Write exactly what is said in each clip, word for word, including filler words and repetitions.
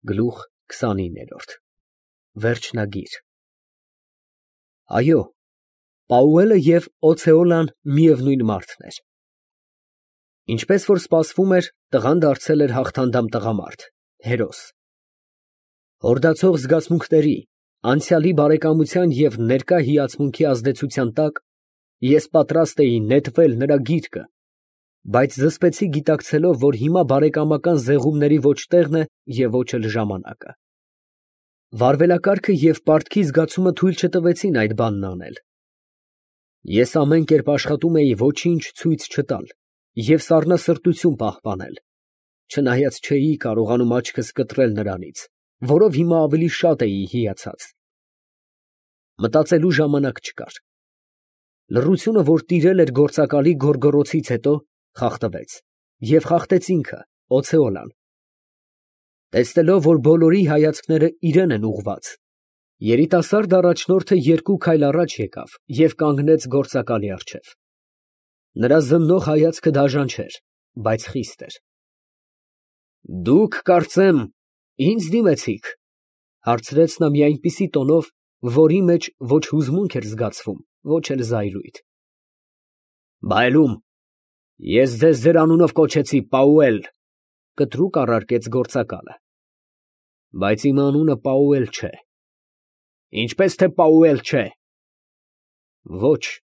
Գլուխ քսանիններորդ Վերջնագիր Այո, Պաուելը և Օցեոլան միևնույն մարդն էր։ Ինչպես որ սպասվում էր, տղան դարձել էր հաղթանդամ տղամարդ, հերոս։ Հորդացող զգացմունքների, անցյալի բարեկամության և ներկա հիացմունքի ազդեցության տակ ես պատրաստ էի նետվել նրա գիրկը, բայց զսպեցի գիտակցելով, որ հիմա բարեկամական զեղումների ոչ տեղն է և ոչ էլ ժամանակը։ Վարվելակարգը և պարտքի զգացումը թույլ չտվեցին այդ բանն անել։ Ես ամեն կերպ աշխատում էի ոչինչ ցույց չտալ և սառնասրտություն պահպանել, չնայած չէի կարողանում աչքս կտրել նրանից, որով հիմա ավելի շատ էի հիացած։ Մտածելու ժամանակ չկար։ Լռությունը, որ տիրել էր գործակալի գոռգոռոցից հետո, խախտվեց, և խախտեց ինքը, Օցեոլան։ Տեսնելով, որ բոլորի հայացքները իրան են ուղղված, երիտասարդ առաջնորդը երկու քայլ առաջ եկավ և կանգնեց գործակալի առջև։ Նրա զննող հայացքը դաժան չէր, բայց խիստ էր։ ֊ Դուք, կարծեմ, ինձ դիմեցիք, ֊ հարցրեց նա մի այնպիսի տոնով, որի մեջ ոչ հուզմունք էր զգացվում, ոչ էլ զայրույթ։ ֊ Բայլում, ես ձեզ ձեր անունով կոչեցի Պաուել, ֊ կտրուկ առարկեց գործակալը։ ֊ Բայց իմ անունը Պաուել չէ։ ֊ Ինչպես թե Պաուել չէ։ ֊ Ոչ, ֊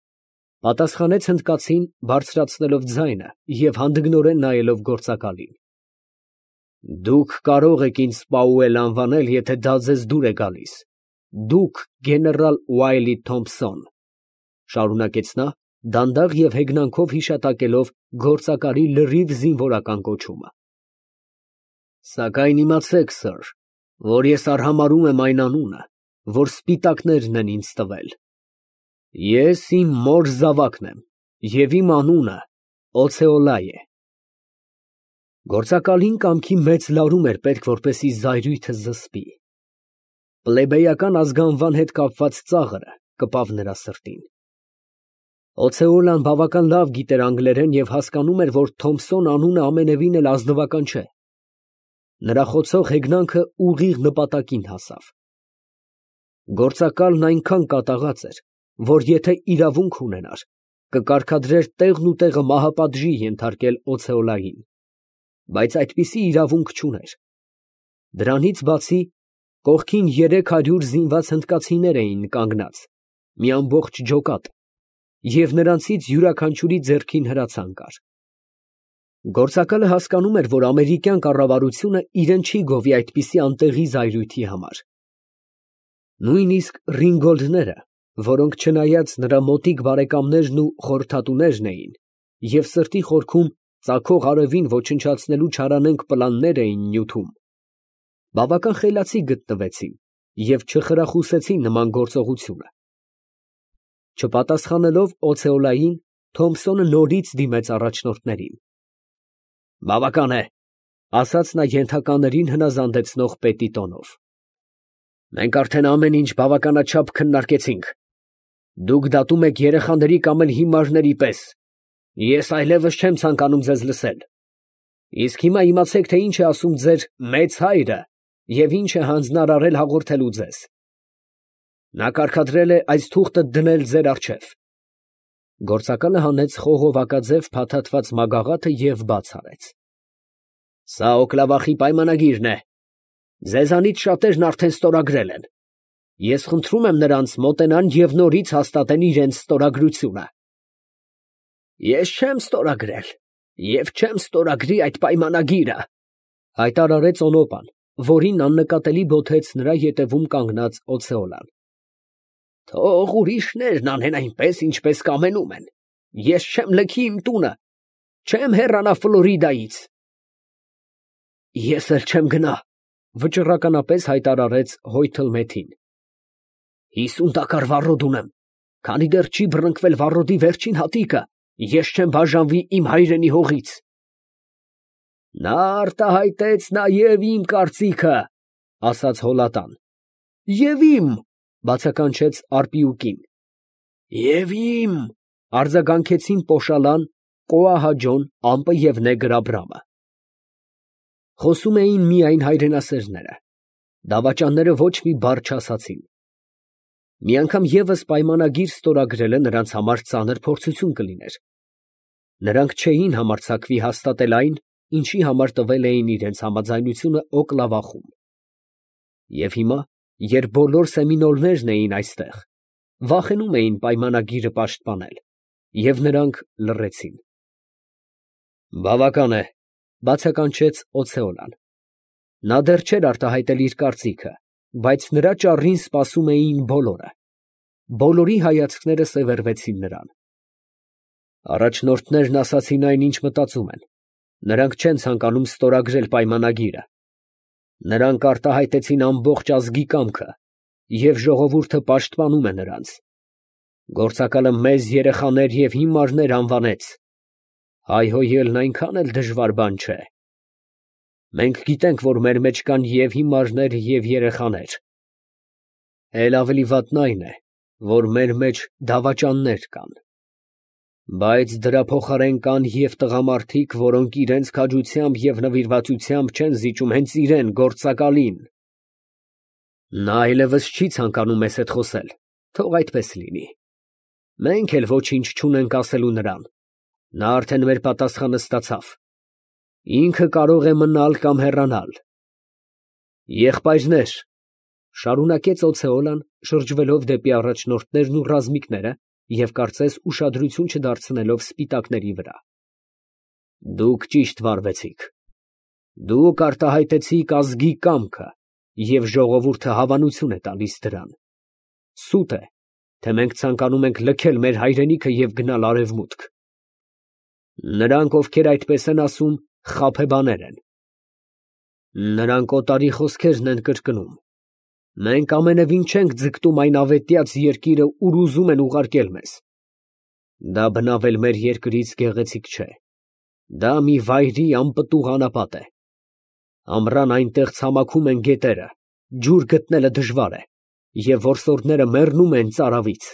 պատասխանեց հնդկացին, բարձրացնելով ձայնը և հանդգնորեն նայելով գործակալին։ ֊ Դուք կարող եք ինձ Պաուել անվանել, եթե դա ձեզ դուր է գալիս, դուք գեներալ Ուայլի Թոմփսոն, ֊ շարունակեց նա, դանդաղ և հեգնանքով հիշատակելով գործակալի լրիվ զինվորական կոչումը։ ֊ Սակայն իմացեք, սըր, որ ես արհամարհում եմ այն անունը, որ սպիտակներն են ինձ տվել. ես իմ մոր զավակն եմ, և իմ անունը Օցեոլա է։ Գործակալին կամքի մեծ լարում էր պետք, որպեսզի զայրույթը զսպի։ Պլեբեյական ազգանվան հետ կապված ծաղրը կպավ նրա սրտին։ Օցեոլան բավական լավ գիտեր անգլերեն և հասկանում էր, որ Թոմփսոն անունը ամենևին էլ ազնվական չէ։ Նրա խոցող հեգնանքը ուղիղ նպատակին հասավ։ Գործակալն այնքան կատաղած էր, որ եթե իրավունք ունենար, կկարգադրեր տեղն ու տեղը մահապատժի ենթարկել Օցեոլային, բայց այդպիսի իրավունք չուներ։ Դրանից բացի, կողքին երեք հարյուր զինված հնդկացիներ էին կանգնած, մի ամբողջ ջոկատ, և նրանցից յուրաքանչյուրի ձեռքին հրացան կար։ Գործակալը հասկանում էր, որ ամերիկյան կառավարությունը իրեն չի գովի այդպիսի անտեղի զայրույթի համար։ Նույնիսկ Ռինգոլդները, որոնք չնայած նրա մոտիկ բարեկամներն ու խորհրդատուներն էին, և սրտի խորքում ծագող արևին ոչնչացնելու չարանենգ պլաններ էին նյութում, բավական խելացի գտնվեցին և չխրախուսեցին նման գործողությունը։ Չպատասխանելով Օցեոլային, Թոմփսոնը նորից դիմեց առաջնորդներին։ ֊ Բավական է, ֊ ասաց նա ենթականերին հնազանդեցնող պետի տոնով։ ֊ Մենք արդեն ամեն ինչ բավականաչափ քննարկեցինք։ Դուք դատում եք երեխաների կամ էլ հիմարների պես. ես այլևս չեմ ցանկանում ձեզ լսել։ Իսկ հիմա իմացեք, թե ինչ է ասում ձեր մեծ հայրը և ինչ է հանձնարարել հաղորդելու ձեզ։ Նա կարգադրել է այս թուղթը դնել ձեր առջև։ Գործակալը հանեց խողովակաձև փաթաթված մագաղաթը և բաց արեց։ Սա Օկլավախի պայմանագիրն է։ Ձեզանից շատերն արդեն ստորագրել են։ Ես խնդրում եմ նրանց մոտենան և նորից հաստատեն իրենց ստորագրությունը։ Ես չեմ ստորագրել և չեմ ստորագրի այդ պայմանագիրը, ֊ հայտարարեց Օնոպան, որին աննկատելի բոթեց նրա ետևում կանգնած Օցեոլան։ Թող ուրիշներն անեն այնպես, ինչպես կամենում են։ Ես չեմ լքի իմ տունը, չեմ հեռանա Ֆլորիդայից։ Ես էլ չեմ գնա, ֊ վճռականապես հայտարարեց Հոյթլ Մեթին։ Հիսուն տակառ վառոդ ունեմ, քանի դեռ չի բռնկվել վառոդի վերջին հատիկը, ես չեմ բաժանվի իմ հայրենի հողից։ Նա արտահայտեց նաև իմ կարծիքը, ֊ ասաց Հոլատան։ Եվ իմ, ֊ բացականչեց Արպիուկին։ Եվ իմ, ֊ արձագանքեցին Պոշալան, Կոահաջոն, Ամպը և Նեգր Աբրամը։ Խոսում էին միայն հայրենասերները։ Դավաճանները ոչ մի բառ չասացին։ Մի անգամ ևս պայմանագիր ստորագրելը նրանց համար ծանր փորձություն կլիներ. նրանք չէին համարձակվի հաստատել այն, ինչի համար տվել էին իրենց համաձայնությունը Օկլավախում։ Եվ հիմա, երբ բոլոր սեմինոլներն էին այստեղ, վախենում էին պայմանագիրը պաշտպանել, և նրանք լռեցին։ Բավական է, բացականչեց Օցեոլան։ Նա դեռ չէր արտահայտել իր կարծիքը, բայց նրա ճառին սպասում էին բոլորը։ Բոլորի հայացքները սևեռվեցին նրան։ Առաջնորդներն ասացին այն, ինչ մտածում են. նրանք չեն ցանկանում ստորագրել պայմանագիրը։ Նրանք արտահայտեցին ամբողջ ազգի կամքը, և ժողովուրդը պաշտպանում է նրանց։ Գործակալը մեծ երեխաներ և հիմարներ անվանեց։ Հայհոյելն այնքան էլ դժվար բան չէ։ Մենք գիտենք, որ մեր մեջ կան և հիմարներ, և երեխաներ։ Էլ ավելի վատն այն է, որ մեր մեջ դավաճաններ կան։ Բայց դրա փոխարեն կան և տղամարդիկ, որոնք իրենց քաջությամբ և նվիրվածությամբ չեն զիջում հենց իրան, գործակալին։ Նա այլևս չի ցանկանում մեզ հետ խոսել, թող այդպես լինի։ Մենք էլ ոչինչ չունենք ասելու նրան։ Նա արդեն մեր պատասխանը ստացավ։ Ինքը կարող է մնալ կամ հեռանալ։ Եղբայրներ, ֊ շարունակեց Օցեոլան, շրջվելով դեպի առաջնորդներն ու ռազմիկները և կարծես ուշադրություն չդարձնելով սպիտակների վրա, դուք ճիշտ վարվեցիք։ Դուք արտահայտեցիք ազգի կամքը, և ժողովուրդը հավանություն է տալիս դրան։ Սուտ է, թե մենք ցանկանում ենք լքել մեր հայրենիքը և գնալ արևմուտք։ Նրանք, ովքեր այդպես են ասում, խաբեբաներ են։ Նրանք օտարի խոսքերն են կրկնում։ Մենք ամենևին չենք ձգտում այն ավետյաց երկիրը, ուր ուզում են ուղարկել մեզ։ Դա բնավ էլ մեր երկրից գեղեցիկ չէ։ Դա մի վայրի անպտուղ անապատ է։ Ամռան այնտեղ ցամաքում են գետերը, ջուր գտնելը դժվար է, և որսորդները մեռնում են ծարավից։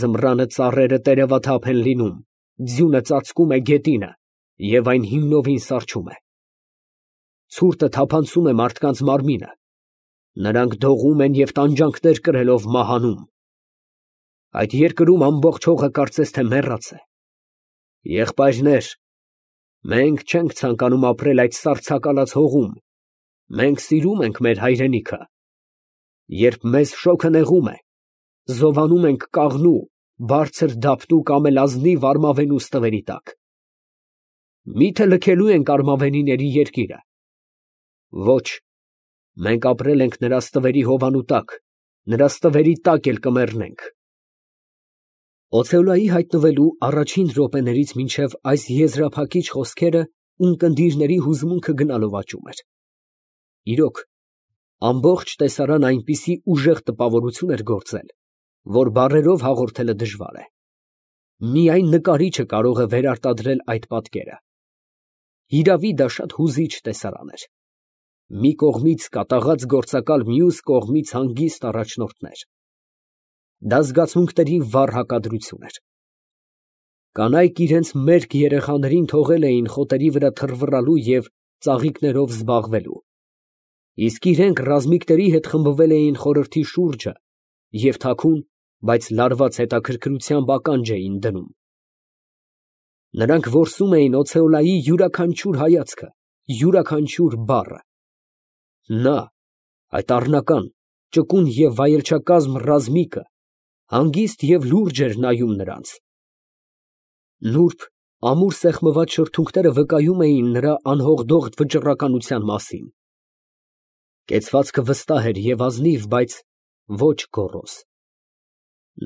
Ձմռանը ծառերը տերևաթափ են լինում, ձյունը ծածկում է գետինը, և այն հիմնովին սառչում է։ Ցուրտը թափանցում է մարդկանց մարմինը։ Նրանք դողում են և տանջանքներ կրելով մահանում։ Այդ երկրում ամբողջ հողը կարծես թե մեռած է։ Եղբայրներ, մենք չենք ցանկանում ապրել այդ սառցակալած հողում։ Մենք սիրում ենք մեր հայրենիքը։ Երբ մեզ շոգը նեղում է, զովանում ենք կաղնու, բարձր դափնու կամ էլ ազնիվ արմավենու ստվերի տակ։ Մի՞թե լքելու ենք արմավենիների երկիրը։ Ոչ, մենք ապրել ենք նրա ստվերի հովանու տակ, նրա ստվերի տակ էլ կմեռնենք։ Օցեոլայի հայտնվելու առաջին րոպեներից մինչև այս եզրափակիչ խոսքերը ունկնդիրների հուզմունքը գնալով աճում էր։ Իրոք, ամբողջ տեսարանն այնպիսի ուժեղ տպավորություն էր գործել, որ բառերով հաղորդելը դժվար է։ Միայն նկարիչը կարող է վերարտադրել այդ պատկերը։ Հիրավի, դա շատ հուզիչ տեսարան էր։ Մի կողմից կատաղած գործակալ, մյուս կողմից հանգիստ առաջնորդներ։ Դա զգացմունքների վառ հակադրություն էր։ Կանայք իրենց մերկ երեխաներին թողել էին խոտերի վրա թռվռալու և ծաղիկներով զբաղվելու, իսկ իրենք ռազմիկների հետ խմբվել էին խորհրդի շուրջը և թաքուն, բայց լարված հետաքրքրությամբ ականջ էին դնում։ Նրանք որսում էին Օցեոլայի յուրաքանչյուր հայացքը, յուրաքանչյուր բառը։ Նա, այդ առնական, ճկուն և վայելչակազմ ռազմիկը, հանգիստ և լուրջ էր նայում նրանց։ Նուրբ, ամուր սեղմված շրթունքները վկայում էին նրա անհողդող վճռականության մասին։ Կեցվածքը վստահ էր և ազնիվ, բայց ոչ գոռոզ։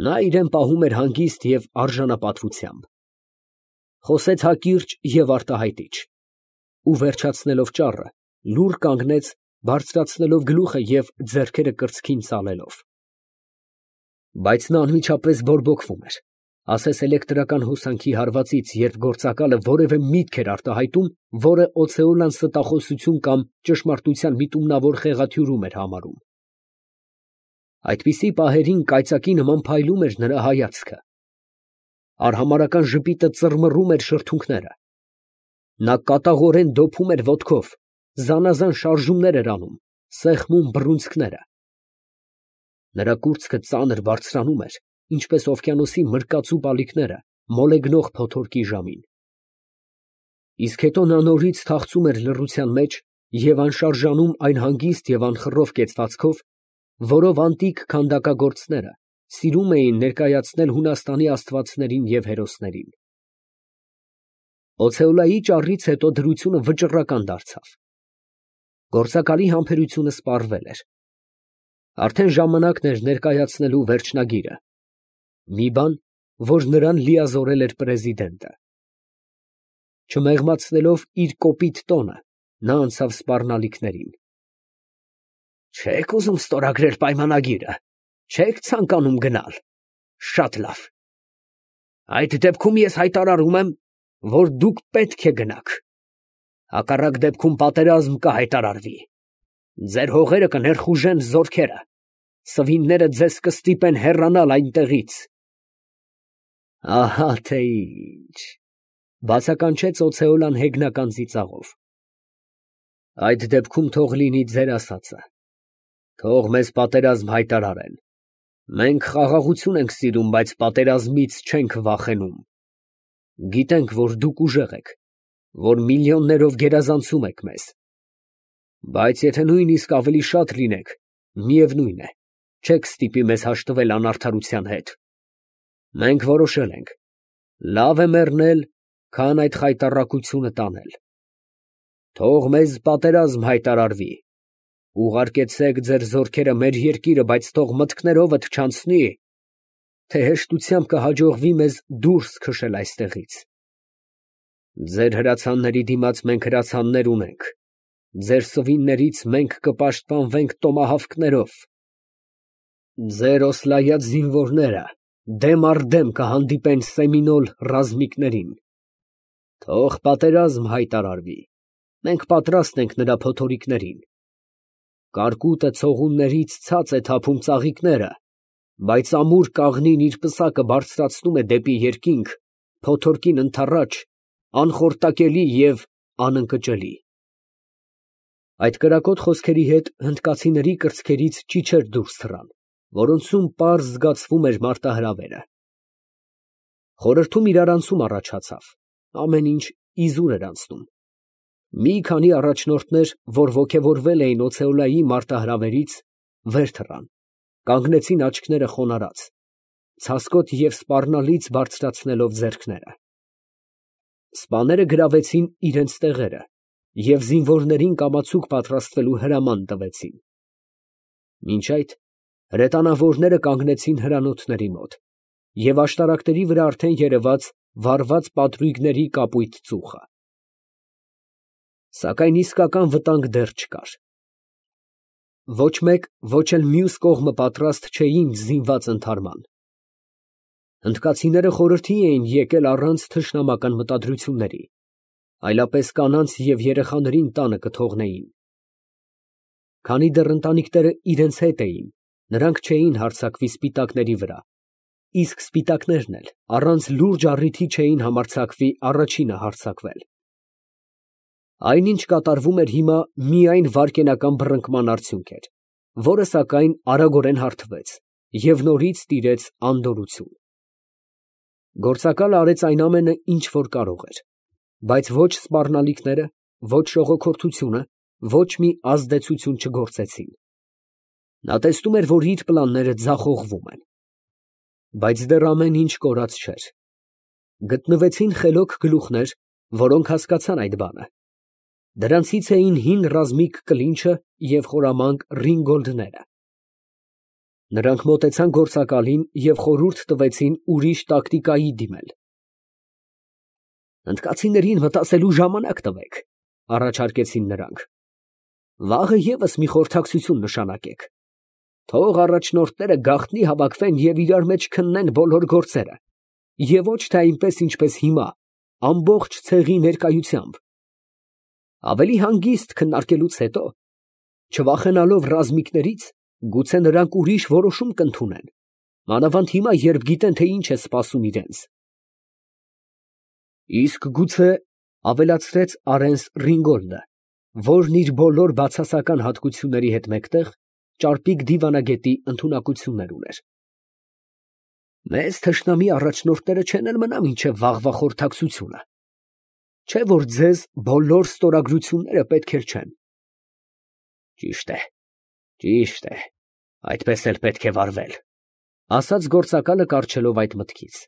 Նա իրան պահում էր հանգիստ և արժանապատվությամբ։ Խոսեց հակիրճ և արտահայտիչ, ու վերջացնելով ճառը, լուռ կանգնեց, բարձրացնելով գլուխը և ձեռքերը կրծքին ծալելով։ Բայց նա անմիջապես բորբոքվում էր, ասես էլեկտրական հոսանքի հարվածից, երբ գործակալը որևէ միտք էր արտահայտում, որը Օցեոլան ստախոսություն կամ ճշմարտության միտումնավոր խեղաթյուրում էր համարում։ Այդպիսի պահերին կայծակի նման փայլում էր նրա հայացքը։ Արհամարհական ժպիտը ծռմռում էր շրթունքները։ Նա կատաղորեն դոփում էր ոտքով, զանազան շարժումներ էր անում, սեղմում բռունցքները։ Նրա կուրծքը ծանր բարձրանում էր, ինչպես օվկիանոսի մրկածու բալիկները մոլեգնող փոթորկի ժամին։ Իսկ հետո նա նորից թախծում էր լռության մեջ և անշարժանում այն հանգիստ և անխռով կեցվածքով, որով անտիկ քանդակագործները սիրում էին ներկայացնել Հունաստանի աստվածներին և հերոսներին։ Օցեոլայի ճառից հետո դրությունը վճռական դարձավ։ Գործակալի համբերությունը սպառվել էր։ Արդեն ժամանակն էր ներկայացնելու վերջնագիրը, մի բան, որ նրան լիազորել էր պրեզիդենտը։ Չմեղմացնելով իր կոպիտ տոնը, նա անցավ սպառնալիքներին։ Չե՞ք ուզում ստորագրել պայմանագիրը, չե՞ք ցանկանում գնալ։ Շատ լավ։ Այդ դեպքում ես հայտարարում եմ, որ դուք պետք է գնաք։ Հակառակ դեպքում պատերազմ կհայտարարվի։ Ձեր հողերը կներխուժեն զորքերը, սվինները ձեզ կստիպեն հեռանալ այնտեղից։ Ահա թե ինչ, բացականչեց Օցեոլան հեգնական ծիծաղով։ Այդ դեպքում թող լինի ձեր ասածը, թող մեզ պատերազմ հայտարարեն։ Մենք խաղաղություն ենք սիրում, բայց պատերազմից չենք վախենում։ Գիտենք, որ դուք ուժեղ եք, որ միլիոններով գերազանցում եք մեզ։ Բայց եթե նույնիսկ ավելի շատ լինեք, միևնույն է, չեք ստիպի մեզ հաշտվել անարդարության հետ։ Մենք որոշել ենք, լավ է մեռնել, քան այդ խայտառակությունը տանել։ Թող մեզ պատերազմ հայտարարվի։ Ուղարկեցեք ձեր զորքերը մեր երկիրը, բայց թող մտքներովդ չանցնի, թե հեշտությամբ կհաջողվի մեզ դուրս քշել այստեղից։ Ձեր հրացանների դիմաց մենք հրացաններ ունենք, ձեր սվիններից մենք կպաշտպանվենք տոմահավքներով։ Ձեր օսլայած զինվորները դեմ առ դեմ կհանդիպեն Սեմինոլ ռազմիկներին։ Թող պատերազմ հայտարարվի, մենք պատրաստ ենք նրա փոթորիկներին։ Կարկուտը ցողուններից ցած է թափում ծաղիկները, բայց ամուր կաղնին իր պսակը բարձրացնում է դեպի երկինք, փոթորկին ընդառաջ, անխորտակելի և անընկճելի։ Այդ կրակոտ խոսքերի հետ հնդկացիների կրծքերից ճիչեր դուրս թռան, որոնցում պարզ զգացվում էր մարտահրավերը։ Խորհրդում իրարանցում առաջացավ, ամեն ինչ իզուր էր անցնում։ Մի քանի առաջնորդներ, որ ոգևորվել էին Օցեոլայի մարտահրավերից, վեր թռան, կանգնեցին աչքները խոնարհած, ցասկոտ և սպառնալից բարձրացնելով ձեռքները։ Սպաները գրավեցին իրենց տեղերը և զինվորներին կամացուկ պատրաստվելու հրաման տվեցին։ Մինչ այդ հրետանավորները կանգնեցին հրանոթների մոտ, և աշտարակների վրա արդեն երևաց վառված պատրույգների կապույտ ծուխը։ Սակայն իսկական վտանգ դեռ չկար։ Ոչ մեկ, ոչ էլ մյուս կողմը պատրաստ չէին զինված ընդհարման։ Հնդկացիները խորհրդի էին եկել առանց թշնամական մտադրությունների, այլապես կանանց և երեխաներին տանը կթողնեին։ Քանի դեռ ընտանիքները իրենց հետ էին, նրանք չէին հարձակվի սպիտակների վրա, իսկ սպիտակներն էլ առանց լուրջ առիթի չէին համարձակվի առաջինը հարձակվել։ Այնինչ կատարվում էր հիմա միայն վայրկենական բռնկման արդյունք էր, որը սակայն արագորեն հարբեց և նորից տիրեց անդորրություն։ Գործակալը արեց այն ամենը, ինչ որ կարող էր, բայց ոչ սպառնալիքները, ոչ շողոքորթությունը, ոչ մի ազդեցություն չգործեցին։ Նա տեսնում էր, որ իր պլանները ձախողվում են։ Բայց դեռ ամեն ինչ կորած չէր։ Գտնվեցին խելոք գլուխներ, որոնք հասկացան այդ բանը։ Դրանցից էին հին ռազմիկ Կլինչը և խորամանկ Ռինգոլդները։ Նրանք մոտեցան գործակալին և խորհուրդ տվեցին ուրիշ տակտիկայի դիմել։ Հնդկացիներին մտածելու ժամանակ տվեք, առաջարկեցին նրանք։ Վաղը ևս մի խորհրդակցություն նշանակեք։ Թող առաջնորդները գաղտնի հավաքվեն և իրար մեջ քննեն բոլոր գործերը, և ոչ թե այնպես, ինչպես հիմա, ամբողջ ցեղի ներկայությամբ։ Ավելի հանգիստ քննարկելուց հետո, չվախենալով ռազմիկներից, գուցե նրանք ուրիշ որոշում կընդունեն, մանավանդ հիմա, երբ գիտեն, թե ինչ է սպասում իրենց։ Իսկ գուցե, ֊ ավելացրեց Արենս Ռինգոլդը, որն իր բոլոր բացասական հատկությունների հետ մեկտեղ ճարպիկ դիվանագետի ընդունակություններ ուներ։ Մեզ թշնամի առաջնորդները չեն էլ մնա մինչև վաղվա խորհրդակցությունը, չէ՞ որ ձեզ բոլոր ստորագրությունները պետք էլ չեն։ Ճիշտ է, ճիշտ է, այդպես էլ պետք է վարվել, ասաց գործակալը կառչելով այդ մտքից։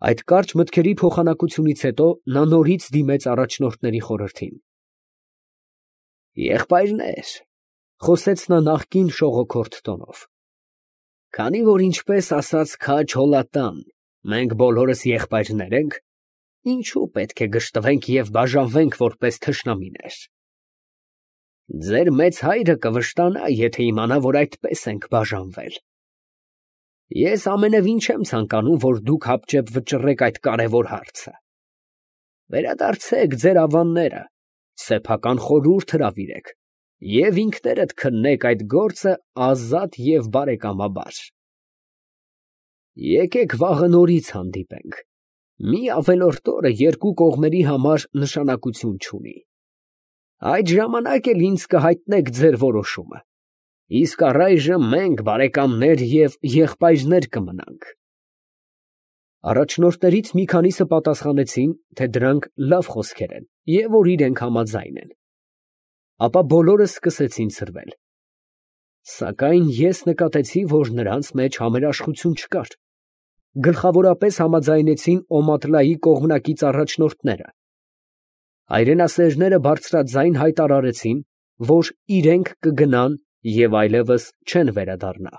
Այդ կարճ մտքերի փոխանակությունից հետո նա նորից դիմեց առաջնորդների խորհրդին։ Եղբայրներ, խոսեց նա նախկին շողոքորթ տոնով, քանի որ ինչպես ասաց քաջ Հոլատան, մենք բոլորս եղբայրներ ենք, ինչու պետք է գժտվենք և բաժանվենք որպես թշնամիներ։ Ձեր մեծ հայրը կվշտանա, եթե իմանա, որ այդպես ենք բաժանվել։ Ես ամենևին չեմ ցանկանում, որ դուք հապճեպ վճռեք այդ կարևոր հարցը։ Վերադարձեք ձեր ավանները, սեփական խորհուրդ հրավիրեք և ինքներդ քննեք այդ գործը ազատ և բարեկամաբար։ Եկեք վաղը նորից հանդիպենք, մի ավելորդ օրը երկու կողմերի համար նշանակություն չունի։ Այդ ժամանակ էլ ինձ կհայտնեք ձեր որոշումը, իսկ առայժմ մենք բարեկամներ և եղբայրներ կմնանք։ Առաջնորդներից մի քանիսը պատասխանեցին, թե դրանք լավ խոսքեր են և որ իրենք համաձայն են։ Ապա բոլորը սկսեցին ցրվել։ Սակայն ես նկատեցի, որ նրանց մեջ համերաշխություն չկար։ Գլխավորապես համաձայնեցին Օմատլայի կողմնակից առաջնորդները։ Հայրենասերները բարձրաձայն հայտարարեցին, որ իրենք կգնան և այլևս չեն վերադառնա։